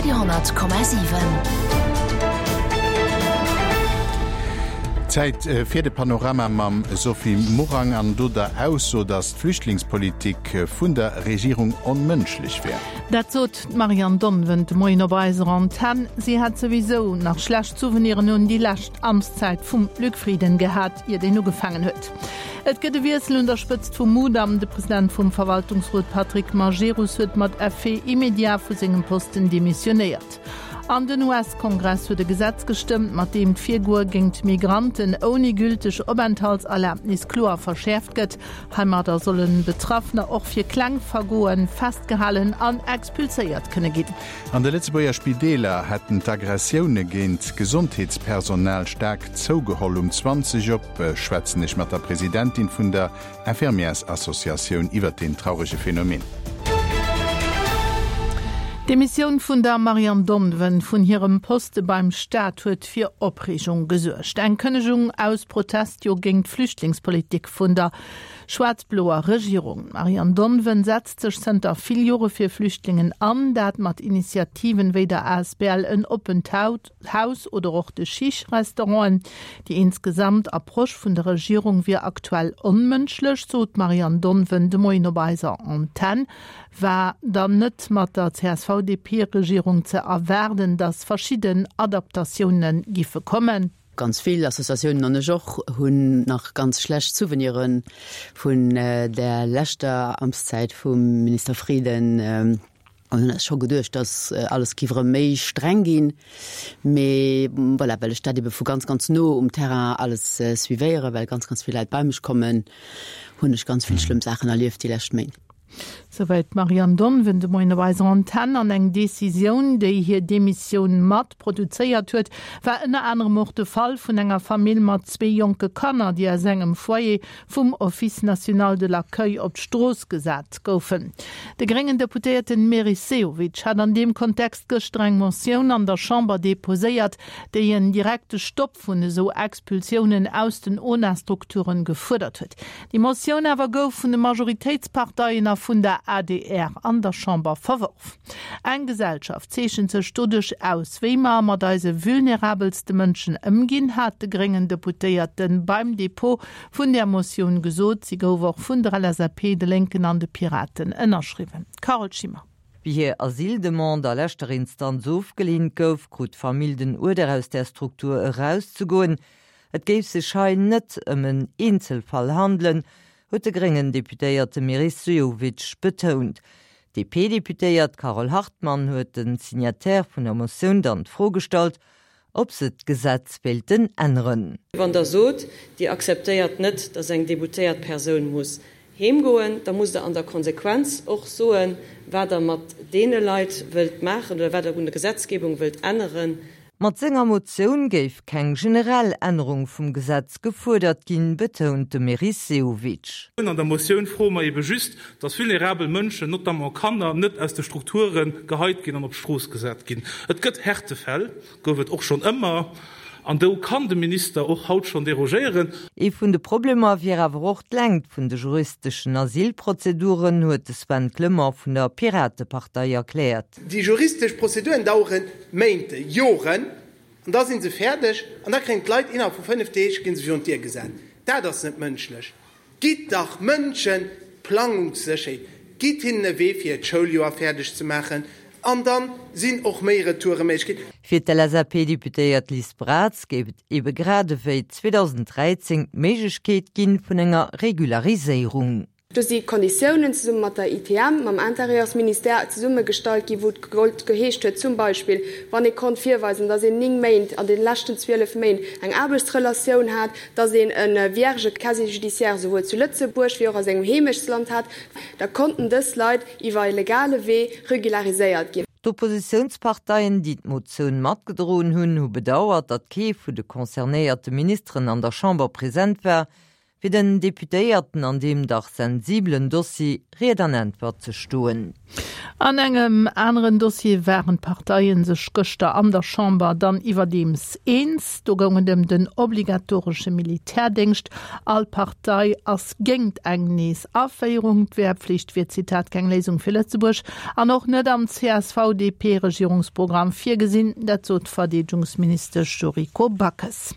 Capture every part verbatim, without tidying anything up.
Radio honnert Komma siwen. Zäit fir de Panorama mam Sophie Morang an do der Ausso, datt d'Flüchtlingspolitik vun der Regierung onmënschlech wär. Dat sot d'Marianne Donven de Moien op eiser Antenn. Si hätt souwisou nach schlecht Souveniren un déi lescht Amtszäit vum Luc Frieden gehat, ier deen ugefaangen huet. Et gëtt e Wiessel un der Spëtzt vum Mudam. De President vum Verwaltungsrot Patrick Majerus huet mat Effet immédiat vu sengem Posten demissionéiert. An den U S-Kongress huet e Gesetz gestëmmt, mat deem d'Virgoe géint Migranten ouni gülteg Openthaltserlabnis kloer verschäerft gëtt. Heimadder solle Betraffener och fir kleng Vergoe festgehalen an expulséiert kënne ginn. An de Lëtzebuerger Spideeler hätten d'Aggressioune géint Gesondheetspersonal staark zougeholl. Um zwanzeg op schwätzen ech mat der Presidentin vun der Infirmièrsassociatioun iwwert deen traurege Phänomen. D'Demissioun vun der Marianne Donven vun hirem Poste beim Staat huet fir Opreegung gesuergt. Eng Kënnegung aus Protest jo géint d'Flüchtlingspolitik vun der schwaarz-bloer Regierung. D'Marianne Donven setzt sech zënter vill Jore fir Flüchtlingen an, dat mat Initiativen wéi der A S B L En oppent Haus oder och de Chiche-Restauranten. Déi insgesamt Approche vun der Regierung wier aktuell onmënschlech, sot d'Marianne Donven de Moien op eiser Antenn. War dann net mat der C S V-D P-Regierung ze erwaarden, datt verschidden Adaptatioune giffe kommen? Ganz vill Associatiounen an ech och hunn nach ganz schlecht Souveniren vun der leschter Amtszäit vum Minister Frieden an hunn eis scho geduecht, dass alles giff erëm méi streng ginn. Mee voilà, well ech dat ebe vu ganz, ganz no um Terrain alles suivéieren, well ganz, ganz vill Leit bei mech kommen, hunn ech ganz vill schlëmm Saachen erlieft déi lescht Méint. Souwäit d'Marianne Donven de Moien op eiser Antenn. An eng Decisioun, déi hir Demissioun mat produzéiert huet, war ënner anerem och de Fall vun enger Famill mat zwee jonke Kanner, déi aus engem Foyer vum Office national de l'accueil op d'Strooss gesat goufen. De gréngen Deputéierten Meris Sehovic hat an deem Kontext gëschter eng Motioun an der Chamber deposéiert, déi en direkte Stopp vun esou Expulsiounen aus den O N A-Strukturen gefuerdert huet. Déi Motioun awer gouf vun de Majoritéitsparteien a vun der A D R an der Chamber verworf. Eng Gesellschaft zeechent sech doduerch aus, wéi mer mat eise vulnerabelste Mënschen ëmginn, hat de gréngen Deputéierte beim Depot vun der Motioun gesot. Si gouf och vun der L S A P, de Lénken an de Piraten ënnerschriwwen. Carole Schimmer. Wéi hir Asyldemande a leschter Instanz ofgeleent gouf, krut d'Famill den Uerder aus der Struktur erauszegoen. Et géif sech hei net ëm en Eenzelfall handelen, huet de gréngen Deputéierte Meris Sehovic betount. D P-Deputéiert Carole Hartmann huet den Signataire vun der Motioun dann d'Fro gestallt, ob se d'Gesetz wéilten änneren. Wann der sot, Dir akzeptéiert net, datt eng deboutéiert Persoun muss heemgoen, da musst Der an der Konsequenz och soen, wat Der mat deene Leit wëllt maachen oder wat Der un der Gesetzgebung wëllt änneren. Mat senger Motioun géif keng generell Ännerung vum Gesetz gefuerdert ginn, betount de Meris Sehovic. An der Motioun froe mer ebe just, datt vulnerabel Mënschen, notamment Kanner, net aus de Strukture geheit ginn an op d'Strooss gesat ginn. Et gëtt Härtefäll, gouf et och schonn ëmmer, an do kann de Minister och haut schonn derogéieren. Ee vun de Problemer wier awer och d'Längt vun de juristeschen Asylprozeduren, huet de Sven Clement vun der Piratepartei erkläert. Déi juristesch Prozeduren dauere Méint, Joren, an da si se fäerdeg an da kréien d'Leit innerhalb vu fënnef Deeg gi se virun d'Dier gesat. Dat ass net mënschlech. Gitt dach Mënsche Plangungssécherheet, gitt hinnen e Wee fir d'Schouljoer fäerdeg ze maachen an da sinn och méi Retoure méiglech. Fir d'L S A P-Deputéiert Liz Braz géif et ebe grad ewéi zweedausend dräizéng d'Méiglechkeet ginn vun enger Regulariséierung. Do si Konditiounen zesumme mat der I T M, mam Intérieursministère zesummegestallt ginn, wou et geheescht huet, zum Beispill, wann ee konnt virweisen, datt een néng Méint an de leschten zwielef Méint eng Aarbechtsrelatioun hat, datt een e vierge Casier judiciaire souwuel zu Lëtzebuerg wéi och a sengem Heemechtsland hat, da konnten dës Leit iwwer e legale Wee regulariséiert ginn. D'Oppositiounsparteien, déi d'Motioun matgedroen hunn, hu bedauert, datt kee vun de concernéierte Ministeren an der Chamber present war, fir den Deputéierten an deem dach sensibelen Dossier Ried an Äntwert ze stoen. An engem aneren Dossier waren d'Parteie sech gëschter an der Chamber dann iwwerdeems eens. Do goung et ëm den obligatoresche Militärdéngscht. All Partei ass géint eng Nees-Aféierung. D'Wehrpflicht wier, Zitat, keng Léisung fir Lëtzebuerg an och net am C S V D P-Regierungsprogramm virgesinn, dat sot d'Verdeedegungsministesch Yuriko Backes.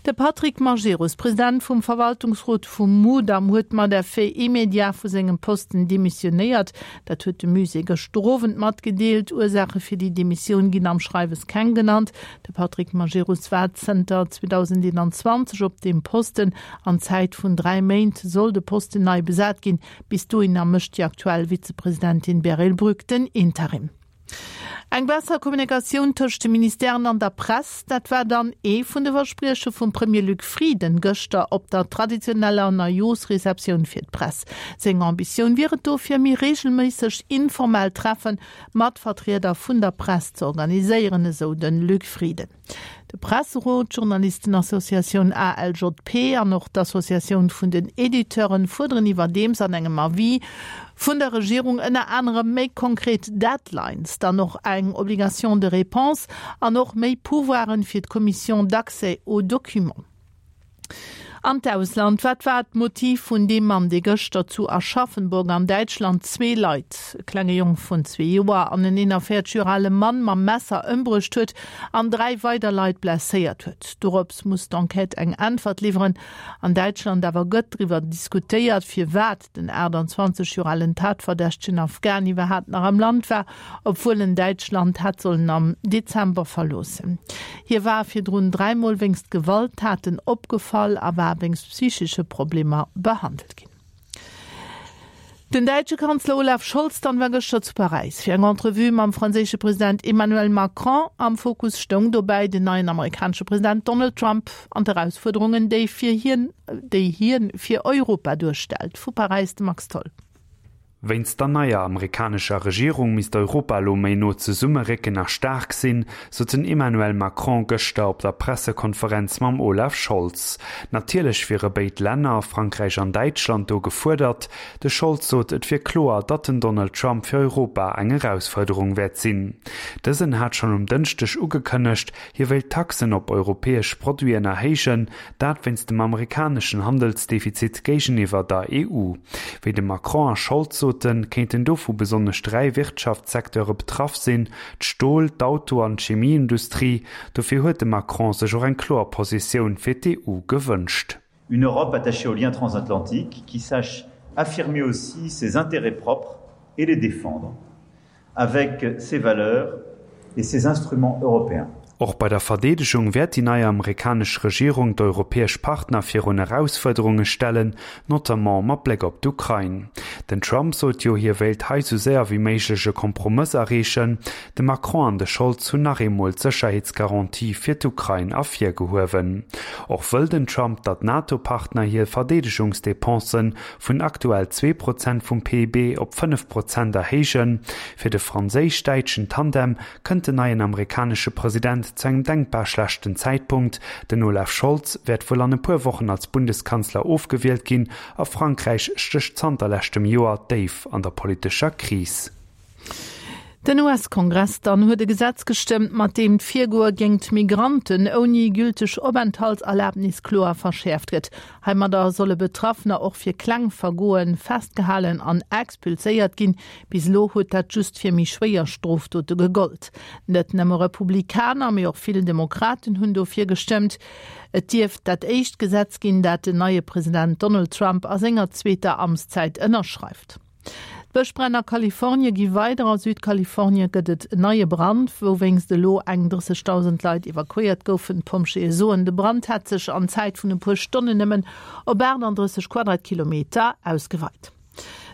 De Patrick Majerus, President vum Verwaltungsrot vum Mudam, huet mat Effet immédiat vu sengem Posten demissionéiert. Dat huet de Musée gëschter Owend matgedeelt. Ursaache fir déi Demissioun ginn am Schreiwes keng genannt. De Patrick Majerus war zënter zweedausendeenanzwanzeg op deem Posten. An Zäit vun dräi Méint soll de Posten nei besat ginn. Bis dohinner mécht déi aktuell Vizepresidentin Beryl Brück den Interim. Eng besser Kommunikatioun tëscht de Ministèren an der Press, dat war dann ee vun de Versprieche vum Premier Luc Frieden gëschter op der traditioneller Neijooschreceptioun fir d'Press. Seng Ambitioun wier et dofir, méi reegelméisseg informell Treffe mat Vertrieder vun der Press ze organiséieren, esou de Luc Frieden. De Presserot, d'Journalistenassociatioun A L J P an och d'Associatioun vun den Editeuren fuerderen iwwerdeems an engem Avis vun der Regierung ënner anerem méi konkret Deadlines, dann och eng Obligation de réponse an och méi Pouvoiren fir d'Commission d'accès aux documents. An d'Ausland, Wat war d'Motiv vun deem Mann, dee gëschter zu Aschaffenburg an Däitschland zwee Leit, e klenge Jong vun zwee Joer an en eenanvéierzeg Joer ale Mann mam Messer ëmbruecht huet an dräi weider Leit blesséiert huet? Dorops muss d'Enquête eng Äntwert liwweren. An Däitschland awer gëtt driwwer diskutéiert, firwat den aachtanzwanzeg Joer alen Tatverdächtegen Afghan iwwerhaapt nach am Land war, obwuel en Däitschland hätt sollen am Dezember verloossen. Hie war virdrun dräimol wéinst Gewalttaten opgefall a war wéinst psychesche Problemer behandelt ginn. Den däitsche Kanzler Olaf Scholz dann war gëschter zu Paräis fir eng Entrevue mam franséische President Emmanuel Macron. Am Fokus stoung dobäi den neien amerikanesche President Donald Trump an d'Erausfuerderungen, déi fir hien, déi hien fir Europa duerstellt. Vu Paräis de Max Tholl. Wéinst der neier amerikanescher Regierung misst Europa elo méi no zesummerécken a staark sinn, sot den Emmanuel Macron gëschter op der Pressekonferenz mam Olaf Scholz. Natierlech wiere béid Länner, Frankräich an Däitschland, do gefuerdert. De Scholz sot, et wier kloer, datt den Donald Trump fir Europa eng Erausfuerderung wäert sinn. Dësen hat schonn um Dënschdeg ugekënnegt, hie wéilt Taxen op europäesch Produiten erhéijen, dat wéinst dem amerikaneschen Handelsdefizit géigeniwwer der E U. Wéi de Macron a Scholz soten, kéinten dovu besonnesch dräi Wirtschaftssecteure betraff sinn, d'Stol-, d'Auto an d'Chemieindustrie. Dofir huet de Macron sech och eng kloer Positioun fir d'E U gewënscht. Une Europe attachée aux liens transatlantiques qui sache affirmer aussi ses intérêts propres et les défendre avec ses valeurs et ses instruments européens. Och bei der Verdeedegung wäert déi nei amerikanesch Regierung d'europäesch Partner virun Erausfuerderunge stellen, notamment mat Bléck op d'Ukrain. Den Trump sot jo, hie wéilt hei sou séier wéi méiglech e Kompromëss erreechen. De Macron an de Scholz hunn nach eemol d'Sécherheetsgarantië fir d'Ukrain ervirgehuewen. Och wëll den Trump, datt d'NATO-Partner hir Verdeedegungsdepensen vun aktuell zwee Prozent vum P I B op fënnef Prozent erhéijen. Fir de franséisch-däitschen Tandem kënnt den neien amerikanesche President zu engem denkbar schlechten Zäitpunkt. Den Olaf Scholz wäert wuel an e puer Wochen als Bundeskanzler ofgewielt ginn a Frankräich stécht zanter leschtem Joer déif an der politescher Kris. Den U S-Kongress dann huet e Gesetz gestëmmt, mat deem d'Virgoe géint Migranten ouni gülteg Openthaltserlabnis kloer verschäerft gëtt. Heimadder solle Betraffener och fir kleng Vergoe festgehalen an expulséiert ginn. Bis elo huet dat just fir méi schwéier Strofdote gegollt. Net nëmme Republikaner, mee och vill Demokraten hunn dofir gestëmmt. Et dierft dat éischt Gesetz ginn, dat den neie President Donald Trump a senger zweeter Amtszäit ënnerschreift. D'Bëschbränn a Kalifornie gi weider. A Südkalifornie gëtt et en neie Brand, wouwéinst elo eng drëssegdausend Leit evakuéiert goufen. D'Pompjeeë soen, de Brand hätt sech an Zäit vun e puer Stonnen nëmmen op aachtanddrësseg Quadratkilometer ausgeweit.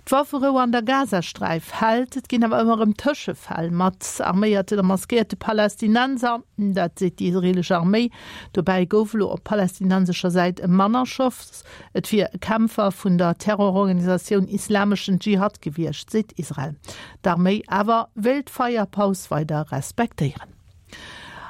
D'Wafferou an der Gazasträif hält, et ginn awer ëmmer erëm Tëschefäll mat arméierten a maskéierte Palästinenser, dat seet déi israeelesch Arméi. Dobäi gouf elo op palästinensescher Säit e Mann erschoss. Et wier e Kämpfer vun der Terrororganisatioun Islameschen Dschihad gewiescht, seet Israel. D'Arméi awer wéilt d'Feierpaus weider respektéieren.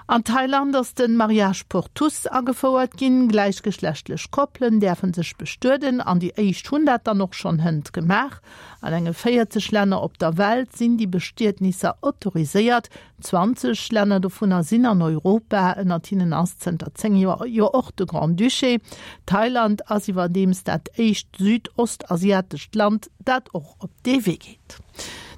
An Thailand ass de Mariage pour tous agefouert ginn, gläichgeschlechtlech Koppelen däerfe sech bestueden an déi éischt hunn dat dann och schonn hënt gemaach. An enge véierzeg Länner op der Welt sinn déi Bestietnisser autoriséiert, zwanzeg Länner dovunner sinn an Europa, ënnert hinnen ass zënter zéng Joer jo och de Grand-Duché. Thailand ass iwwerdeems dat éischt südostasiatescht Land, dat och op dee Wee geet.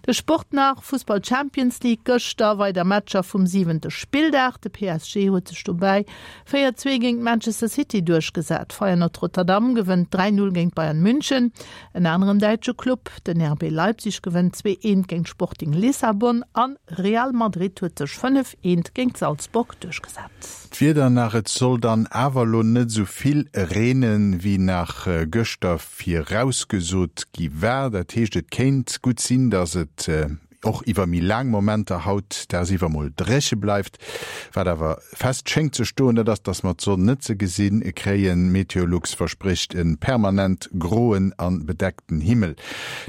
De Sport nach, Fussball Champions League, Gëschter weider Matcher vum siwente Spilldag. De P S G huet sech dobäi véier zwee géint Manchester City duerchgesat. Feyenoord Rotterdam gewënnt dräi null géint Bayern München. En aneren däitsche Club, den R B Leipzig gewënnt zwee eent géint Sporting Lissabon an Real Madrid huet sech fënnef eent géint Salzburg duerchgesat. D'Wieder nach, Et soll dann awer lo net sou vill reenen, wéi nach gëschter virausgesot gi war. Dat heescht, et kéint gutt sinn, dass et och iwwer méi laang Momenter haut dagsiwwer mol dréche bleift. Wat awer fest schéngt ze stoen, dat ass, dass mer d'Sonn net ze gesi kréien. Meteolux versprécht e permanent groen a bedeckten Himmel.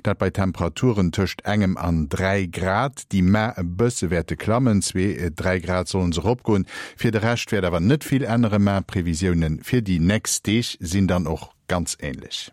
Dat bei Temperaturen tëscht engem an dräi Grad, déi mar e bësse wäerte klammen, zwee, dräi Grad sollen se eropgoen. Fir de Rescht wäert awer net vill änneren, mä d'Previsioune fir déi nächst Deeg sinn dann och ganz änlech.